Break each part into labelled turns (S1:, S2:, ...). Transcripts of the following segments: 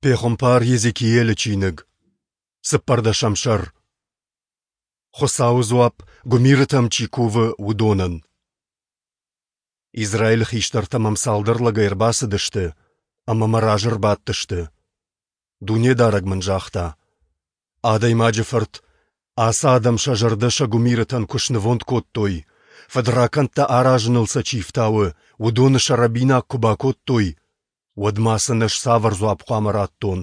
S1: Пехуымпар Йезекиелы чиныг, цыппӕрдӕсӕм сӕр. Хуыцауы дзуапп, гуымирытӕм чи кувы, уыдонӕн. Израилы хистӕртӕ мӕм цалдӕр лӕгӕй ӕрбацыдысты ӕмӕ мӕ разы ӕрбадтысты. Дунедарӕг мын загъта: Адӕймаджы фырт, ацы адӕм сӕ зӕрдӕ сӕ гуымирытӕн куы снывонд кодтой, фыдракӕндтӕ аразыныл сӕ чи фтауы, уыдоны сӕ рӕбинаг куы бакодтой, уӕд ма сын ӕз цавӕр дзуапп хъуамӕ раттон?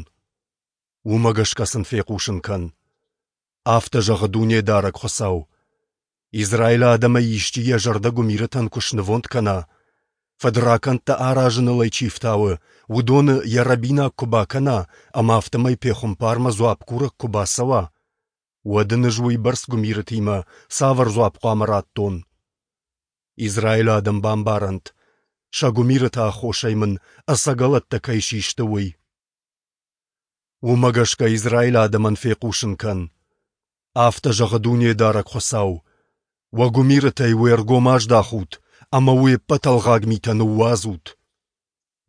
S1: Уымӕ гӕсгӕ сын фехъусын кӕн: Афтӕ зӕгъы Дунедарӕг Хуыцау: Израилы адӕмӕй исчи йӕ зӕрдӕ гуымирытӕн куы снывонд кӕна, фыдракӕндтӕ аразыныл ӕй чи фтауы, уыдоны йӕ рӕбинаг куы бакӕна ӕмӕ афтӕмӕй пехуымпармӕ дзуапп курӕг куы бацӕуа, уӕд ын ӕз уыйбӕрц гуымирытимӕ цавӕр дзуапп хъуамӕ раттон? Израилы адӕм бамбарӕнт, сӕ гуымирыты аххосӕй мын ӕцӕгӕлӕттӕ кӕй систы, уый. Уымӕ гӕсгӕ Израилы адӕмӕн фехъусын кӕн: Афтӕ зӕгъы Дунедарӕг Хуыцау: Уӕ гуымирытӕй уе ргом аздахут ӕмӕ уе ппӕт ӕлгъаг митӕ ныууадзут.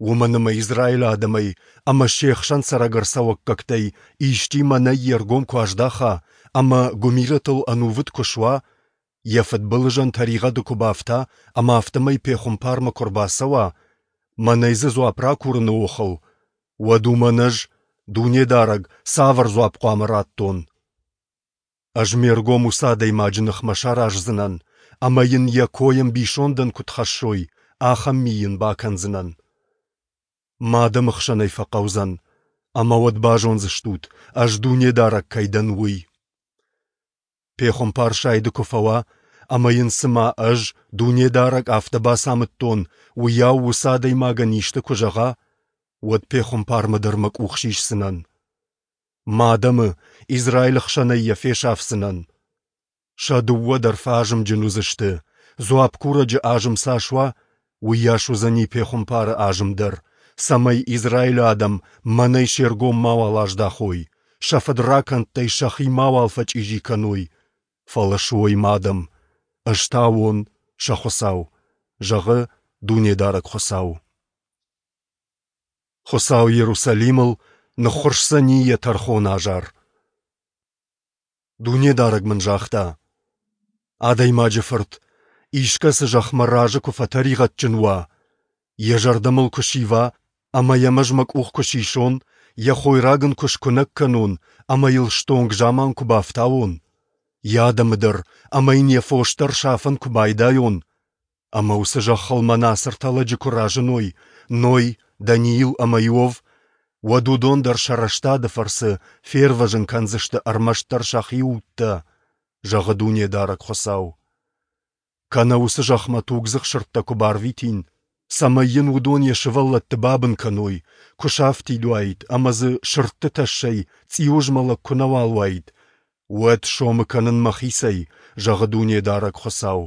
S1: Уымӕн ӕмӕ Израилы адӕмӕй ӕмӕ се хсӕн цӕрӕг ӕрцӕуӕггӕгтӕй исчи мӕнӕй йе ргом куы аздаха ӕмӕ гуымирытыл ӕнувыд куы суа, йӕ фыдбылызӕн тӕригъӕды куы бафта ӕмӕ афтӕмӕй пехуымпармӕ куы ӕрбацӕуа, мӕнӕй дзы дзуапп ракурыны охыл, уӕд уымӕн ӕз, Дунедарӕг, цавӕр дзуапп хъуамӕ раттон? Ӕз ме ргом уыцы адӕймаджы ныхмӕ сараздзынӕн ӕмӕ йын йӕ кой ӕмбисондӕн куыд хӕссой, ахӕм ми йын бакӕндзынӕн. Мӕ адӕмы хсӕн ӕй фӕхъӕудзӕн, ӕмӕ уӕд базондзыстут, ӕз Дунедарӕг кӕй дӕн, уый. Пехуымпар сайды куы фӕуа, ӕмӕ йын цыма ӕз, Дунедарӕг, афтӕ бацамыдтон, уыйау уыцы адӕймагӕн исты куы зӕгъа, уӕд пехуымпармӕ дӕр мӕ къух сисдзынӕн. Мӕ адӕмы, Израилы хсӕнӕй йӕ фесафдзынӕн. Сӕ дыууӕ дӕр фӕазымджын уыдзысты, дзуапп курӕджы азым цас уа, уыйас уыдзӕни пехуымпары азым дӕр, цӕмӕй Израилы адӕм мӕнӕй се ргом мауал аздахой, сӕ фыдракӕндтӕй сӕхи мауал фӕчъизи кӕной, фӕлӕ суой мӕ адӕм, ӕз та уон сӕ Хуыцау, зӕгъы Дунедарӕг Хуыцау. Хуыцау Иерусалимыл ныххуырсдзӕни йӕ тӕрхоны азар. Дунедарӕг мын загъта: Адӕймаджы фырт, искӕцы зӕхх мӕ разы куы фӕтӕригъӕдджын уа, йӕ зӕрдӕ мыл куы сива ӕмӕ йӕм ӕз мӕ къух куы сисон, йӕ хойраг ын куы скуынӕг кӕнон ӕмӕ йыл стонг заман куы бафтауон, йӕ адӕмы дӕр ӕмӕ йын йӕ фос дӕр сафын куы байдайон, ӕмӕ уыцы зӕххыл мӕнӕ ацы ӕртӕ лӕджы куы разыной, Ной, Даниил ӕмӕ Иов, уӕд уыдон дӕр сӕ рӕстады фӕрцы фервӕзын кӕндзысты ӕрмӕстдӕр сӕхи удтӕ, зӕгъы Дунедарӕг Хуыцау. Кӕнӕ уыцы зӕхмӕ тугдзых сырдтӕ куы барвитин, цӕмӕй йын уыдон йӕ сывӕллӕтты бабын кӕной, куы сафтид уаид ӕмӕ дзы сырдты тӕссӕй цъиуызмӕлӕг куы нӕуал уаид, уӕд сомы кӕнын мӕхицӕй, зӕгъы Дунедарӕг Хуыцау.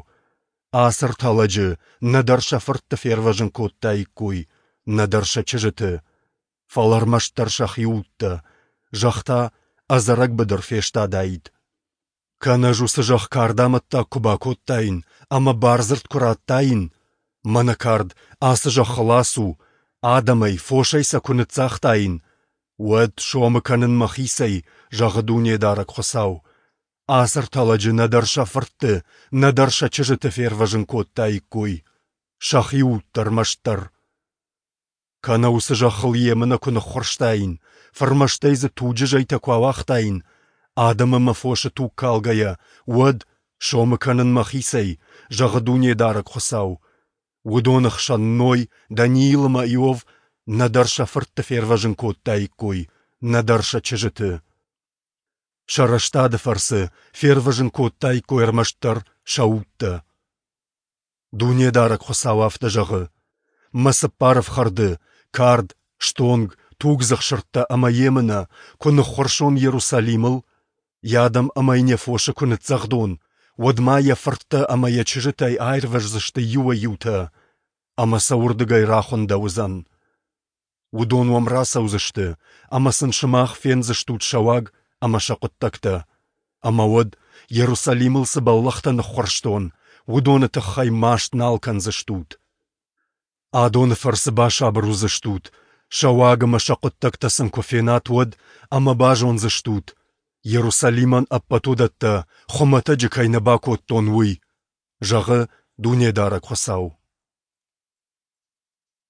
S1: Ацы ӕртӕ лӕджы нӕдӕр сӕ фыртты фервӕзын кодтаиккой, нӕдӕр сӕ чызджыты, фӕлӕ ӕрмӕстдӕр сӕхи удтӕ, зӕхх та ӕдзӕрӕг быдыр фестадаид. Кӕнӕ ӕз уыцы зӕхх кардамӕттаг куы бакодтаин ӕмӕ бардзырд куы радтаин, мӕнӕ кард, ацы зӕххыл ацу, адӕмӕй, фосӕй сӕ куы ныццагътаин, уӕд сомы кӕнын мӕхицӕй, зӕгъы Дунедарӕг Хуыцау, Ацы ӕртӕ лӕджы нӕдӕр сӕ фыртты, нӕдӕр сӕ чызджыты фервӕзын кодтаиккой, сӕхи удтӕ ӕрмӕстдӕр. Кӕнӕ уыцы зӕххыл емынӕ куы ныххуырстаин, фырмӕстӕй дзы туджы зӕйтӕ куы ауагътаин, адӕм ӕмӕ фосы туг калгӕйӕ, уӕд, сомы кӕнын мӕхицӕй, зӕгъы Дунедарӕг Хуыцау, уыдоны хсӕн Ной, Даниил ӕмӕ Иов нӕдӕр сӕ фыртты фервӕзын кодтаиккой, нӕдӕр сӕ чызджыты. Сӕ рӕстады фӕрцы фервӕзын кодтаиккой ӕрмӕстдӕр сӕ удтӕ. Дунедарӕг Хуыцау афтӕ зӕгъы: Мӕ цыппар ӕфхӕрды, кард, стонг, тугдзых сырдтӕ ӕмӕ емынӕ куы ныххуырсон Иерусалимыл, йӕ адӕм ӕмӕ йын йӕ фосы куы ныццӕгъдон, уӕд ма йӕ фырттӕ ӕмӕ йӕ чызджытӕй аирвӕздзысты иуӕй-иутӕ, ӕмӕ сӕ уырдыгӕй рахуындӕуыдзӕн. Уыдон уӕм рацӕудзысты, ӕмӕ сын сымах фендзыстут сӕ уаг ӕмӕ сӕ хъуыддӕгтӕ. Ӕмӕ уӕд, Иерусалимыл цы бӕллӕхтӕ ныххуырстон, уыдоны тыххӕй маст нал кӕндзыстут. Адоны фӕрцы басабыр уыдзыстут, Сӕ уаг ӕмӕ сӕ хъуыддӕгтӕ сын куы фенат, уӕд, ӕмӕ базондзыстут, Иерусалимӕн ӕппӕт уыдӕттӕ хуымӕтӕджы кӕй нӕ бакодтон, уый, зӕгъы Дунедарӕг Хуыцау.